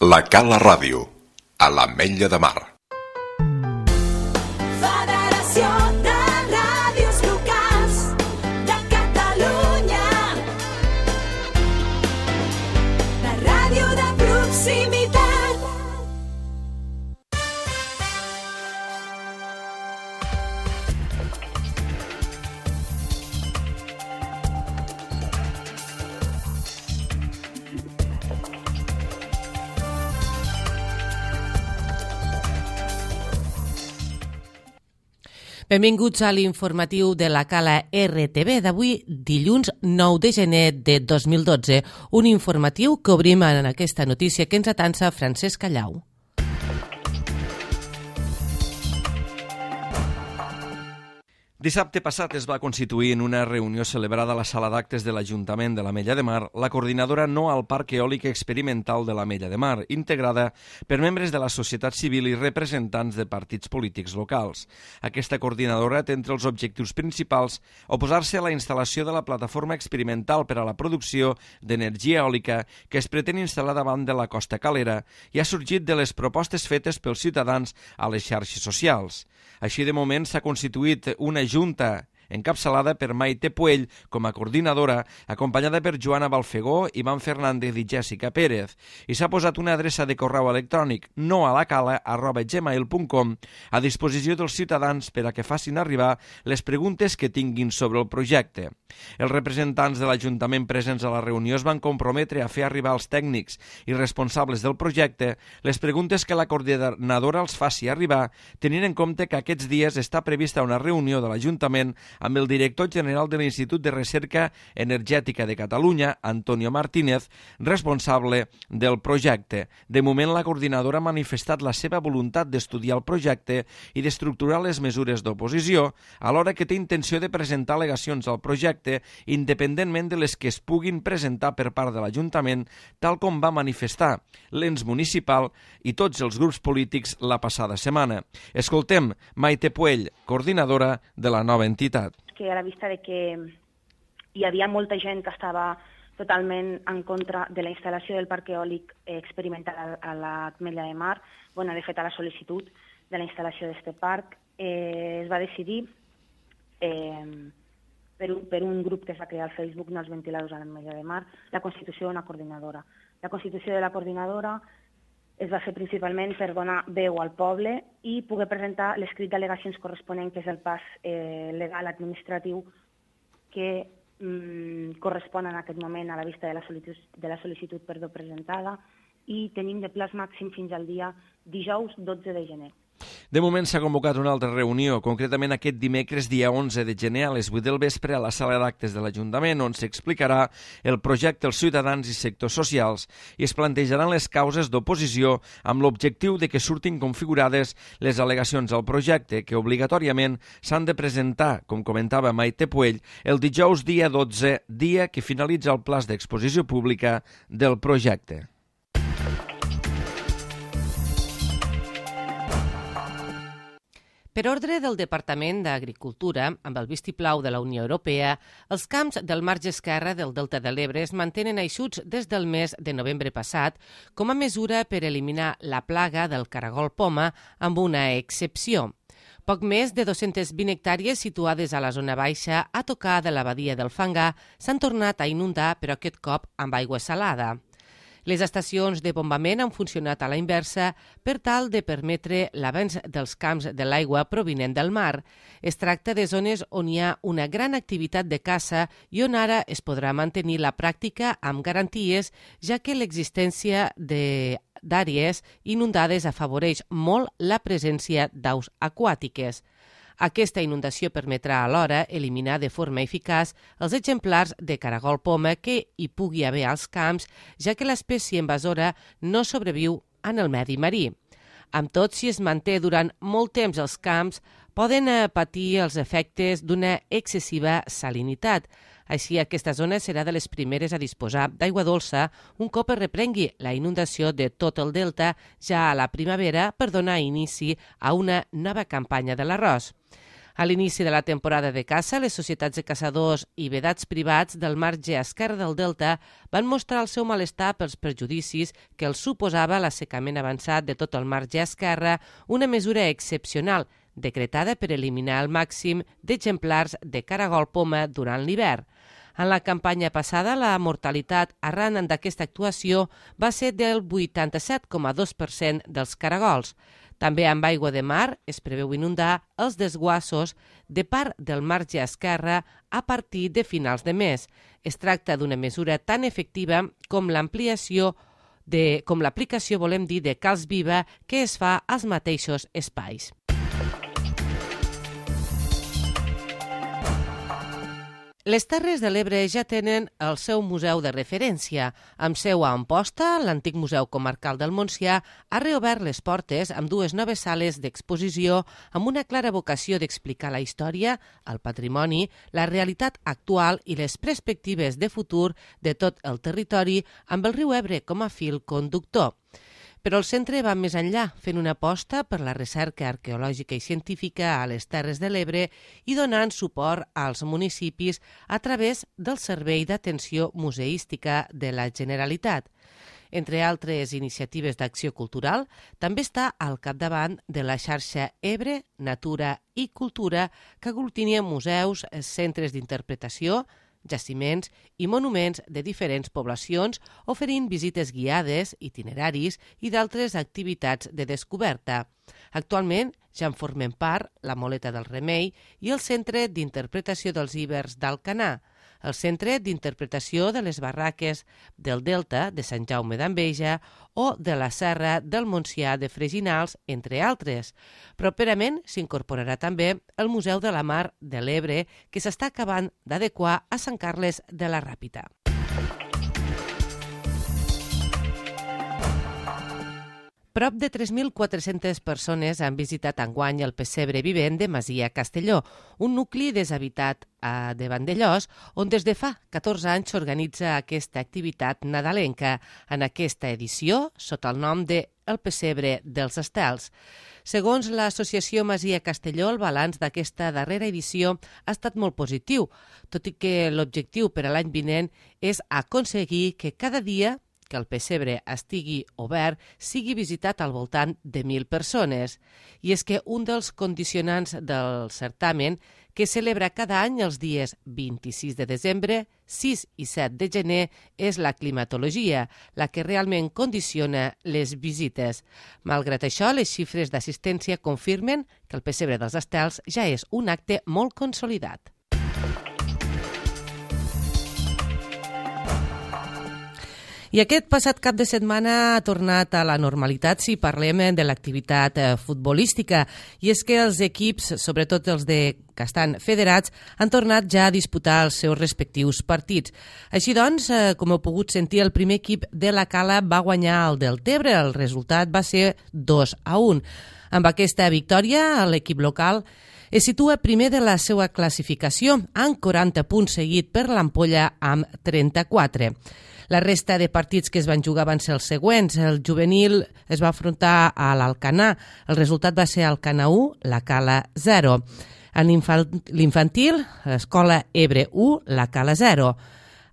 La Cala Ràdio, a l'Ametlla de Mar. Federació de Ràdios Locals de Catalunya. La ràdio de proximitat. Benvinguts a l'informatiu de la Cala RTV d'avui, dilluns 9 de gener de 2012. Un informatiu que obrim en aquesta notícia que ens atansa Francesc Callau. Dissabte passat es va constituir en una reunió celebrada a la sala d'actes de l'Ajuntament de l'Ametlla de Mar la coordinadora No al Parc Eòlic Experimental de l'Ametlla de Mar, integrada per membres de la societat civil i representants de partits polítics locals. Aquesta coordinadora té entre els objectius principals oposar-se a la instal·lació de la plataforma experimental per a la producció d'energia eòlica que es pretén instal·lar davant de la Costa Calera i ha sorgit de les propostes fetes pels ciutadans a les xarxes socials. Així, de moment, s'ha constituït una junta encapçalada per Maite Puell com a coordinadora, acompanyada per Joana Balfegó, Ivan Fernández i Jèssica Pérez, i s'ha posat una adreça de correu electrònic noalacala@gmail.com a disposició dels ciutadans per a que facin arribar les preguntes que tinguin sobre el projecte. Els representants de l'Ajuntament presents a la reunió es van comprometre a fer arribar als tècnics i responsables del projecte les preguntes que la coordinadora els faci arribar, tenint en compte que aquests dies està prevista una reunió de l'Ajuntament amb el director general de l'Institut de Recerca Energètica de Catalunya, Antonio Martínez, responsable del projecte. De moment, la coordinadora ha manifestat la seva voluntat d'estudiar el projecte i d'estructurar les mesures d'oposició, alhora que té intenció de presentar al·legacions al projecte independentment de les que es puguin presentar per part de l'Ajuntament, tal com va manifestar l'ens municipal i tots els grups polítics la passada setmana. Escoltem Maite Puell, coordinadora de la nova entitat. Que a la vista de que hi havia molta gent que estava totalment en contra de la instal·lació del parc eòlic experimental a l'Ametlla de Mar, de fet a la sol·licitud de la instal·lació d'aquest parc, es va decidir per un grup que es va crear al Facebook, No als ventiladors a l'Ametlla de Mar, la constitució d'una coordinadora. La constitució de la coordinadora es va fer principalment per donar veu al poble i poder presentar l'escrit d'al·legacions corresponent, que és el pas legal administratiu que correspon en aquest moment a la vista de la sol·licitud presentada, i tenim de plaç màxim fins al dia dijous 12 de gener. De moment s'ha convocat una altra reunió, concretament aquest dimecres dia 11 de gener a les 8 del vespre a la sala d'actes de l'Ajuntament, on s'explicarà el projecte als ciutadans i sectors socials i es plantejaran les causes d'oposició amb l'objectiu de que surtin configurades les al·legacions al projecte, que obligatòriament s'han de presentar, com comentava Maite Puell, el dijous dia 12, dia que finalitza el plaç d'exposició pública del projecte. Per ordre del Departament d'Agricultura, amb el vistiplau de la Unió Europea, els camps del marge esquerre del Delta de l'Ebre es mantenen eixuts des del mes de novembre passat com a mesura per eliminar la plaga del caragol poma, amb una excepció. Poc més de 220 hectàrees situades a la zona baixa a tocar de la badia del Fangar s'han tornat a inundar, però aquest cop amb aigua salada. Les estacions de bombament han funcionat a la inversa per tal de permetre l'avanç dels camps de l'aigua provinent del mar. Es tracta de zones on hi ha una gran activitat de caça i on ara es podrà mantenir la pràctica amb garanties, ja que l'existència d'àrees inundades afavoreix molt la presència d'aus aquàtiques. Aquesta inundació permetrà alhora eliminar de forma eficaç els exemplars de caragol poma que hi pugui haver als camps, ja que l'espècie invasora no sobreviu en el medi marí. Amb tot, si es manté durant molt temps als camps, poden patir els efectes d'una excessiva salinitat. Així, aquesta zona serà de les primeres a disposar d'aigua dolça un cop es reprengui la inundació de tot el delta ja a la primavera per donar inici a una nova campanya de l'arròs. A l'inici de la temporada de caça, les societats de caçadors i vedats privats del marge esquerre del Delta van mostrar el seu malestar pels perjudicis que els suposava l'assecament avançat de tot el marge esquerre, una mesura excepcional decretada per eliminar el màxim d'exemplars de caragol poma durant l'hivern. En la campanya passada, la mortalitat arran d'aquesta actuació va ser del 87,2% dels caragols. També amb aigua de mar es preveu inundar els desguassos de part del marge esquerre a partir de finals de mes. Es tracta d'una mesura tan efectiva com l'aplicació, volem dir, de calç viva que es fa als mateixos espais. Les Terres de l'Ebre ja tenen el seu museu de referència. Amb seu a Amposta, l'antic Museu Comarcal del Montsià ha reobert les portes amb 2 noves sales d'exposició amb una clara vocació d'explicar la història, el patrimoni, la realitat actual i les perspectives de futur de tot el territori amb el riu Ebre com a fil conductor. Però el centre va més enllà, fent una aposta per la recerca arqueològica i científica a les Terres de l'Ebre i donant suport als municipis a través del Servei d'Atenció Museística de la Generalitat. Entre altres iniciatives d'acció cultural, també està al capdavant de la xarxa Ebre, Natura i Cultura, que aglutina museus, centres d'interpretació, jaciments i monuments de diferents poblacions, oferint visites guiades, itineraris i d'altres activitats de descoberta. Actualment ja en formen part la Moleta del Remei i el Centre d'Interpretació dels Ibers d'Alcanar, el Centre d'Interpretació de les Barraques del Delta de Sant Jaume d'Enveja o de la Serra del Montsià de Freginals, entre altres. Properament s'incorporarà també el Museu de la Mar de l'Ebre, que s'està acabant d'adequar a Sant Carles de la Ràpita. Prop de 3.400 persones han visitat enguany el pessebre vivent de Masia Castelló, un nucli deshabitat de Vandellós, on des de fa 14 anys s'organitza aquesta activitat nadalenca, en aquesta edició sota el nom de El Pessebre dels Estels. Segons l'associació Masia Castelló, el balanç d'aquesta darrera edició ha estat molt positiu, tot i que l'objectiu per a l'any vinent és aconseguir que cada dia que el pessebre estigui obert sigui visitat al voltant de 1.000 persones. I és que un dels condicionants del certamen, que celebra cada any els dies 26 de desembre, 6 i 7 de gener, és la climatologia, la que realment condiciona les visites. Malgrat això, les xifres d'assistència confirmen que el pessebre dels Estels ja és un acte molt consolidat. I aquest passat cap de setmana ha tornat a la normalitat si parlem de l'activitat futbolística. I és que els equips, sobretot els que estan federats, han tornat ja a disputar els seus respectius partits. Així doncs, com heu pogut sentir, el primer equip de la Cala va guanyar el Deltebre. El resultat va ser 2-1. Amb aquesta victòria, l'equip local es situa primer de la seva classificació, amb 40 punts, seguit per l'Ampolla amb 34. La resta de partits que es van jugar van ser els següents. El juvenil es va afrontar a l'Alcanar. El resultat va ser Alcanar 1, la Cala 0. En l'infantil, l'Escola Ebre 1, la Cala 0.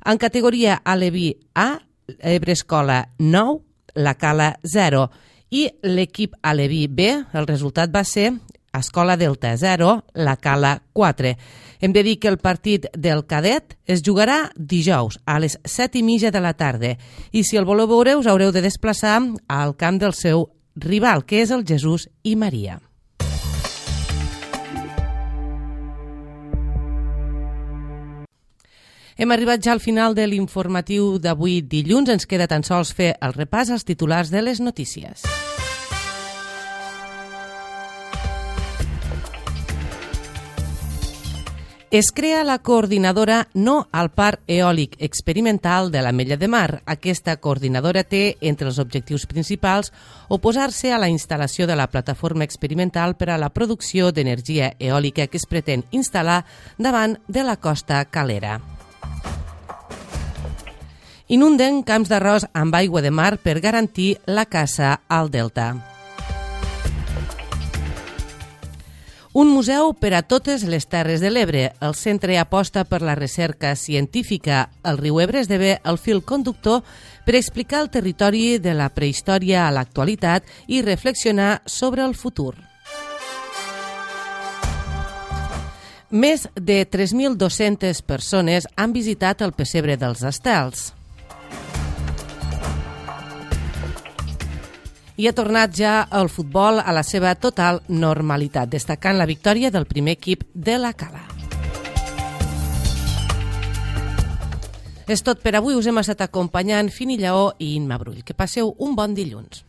En categoria Aleví A, Ebre Escola 9, la Cala 0. I l'equip Aleví B, el resultat va ser Escola Delta 0, la Cala 4. Hem de dir que el partit del cadet es jugarà dijous a les 7:30 de la tarda i si el voleu veure us haureu de desplaçar al camp del seu rival, que és el Jesús i Maria. Hem arribat ja al final de l'informatiu d'avui dilluns. Ens queda tan sols fer el repàs als titulars de les notícies. Es crea la coordinadora No al Parc Eòlic Experimental de l'Ametlla de Mar. Aquesta coordinadora té, entre els objectius principals, oposar-se a la instal·lació de la plataforma experimental per a la producció d'energia eòlica que es pretén instal·lar davant de la costa Calera. Inunden camps d'arròs amb aigua de mar per garantir la caça al delta. Un museu per a totes les Terres de l'Ebre. El centre aposta per la recerca científica. El riu Ebre esdevé el fil conductor per explicar el territori de la prehistòria a l'actualitat i reflexionar sobre el futur. Més de 3.200 persones han visitat el pessebre dels Estels. I ha tornat ja el futbol a la seva total normalitat, destacant la victòria del primer equip de la Cala. És tot per avui. Us hem estat acompanyant Fini Lleó i Imma Brull. Que passeu un bon dilluns.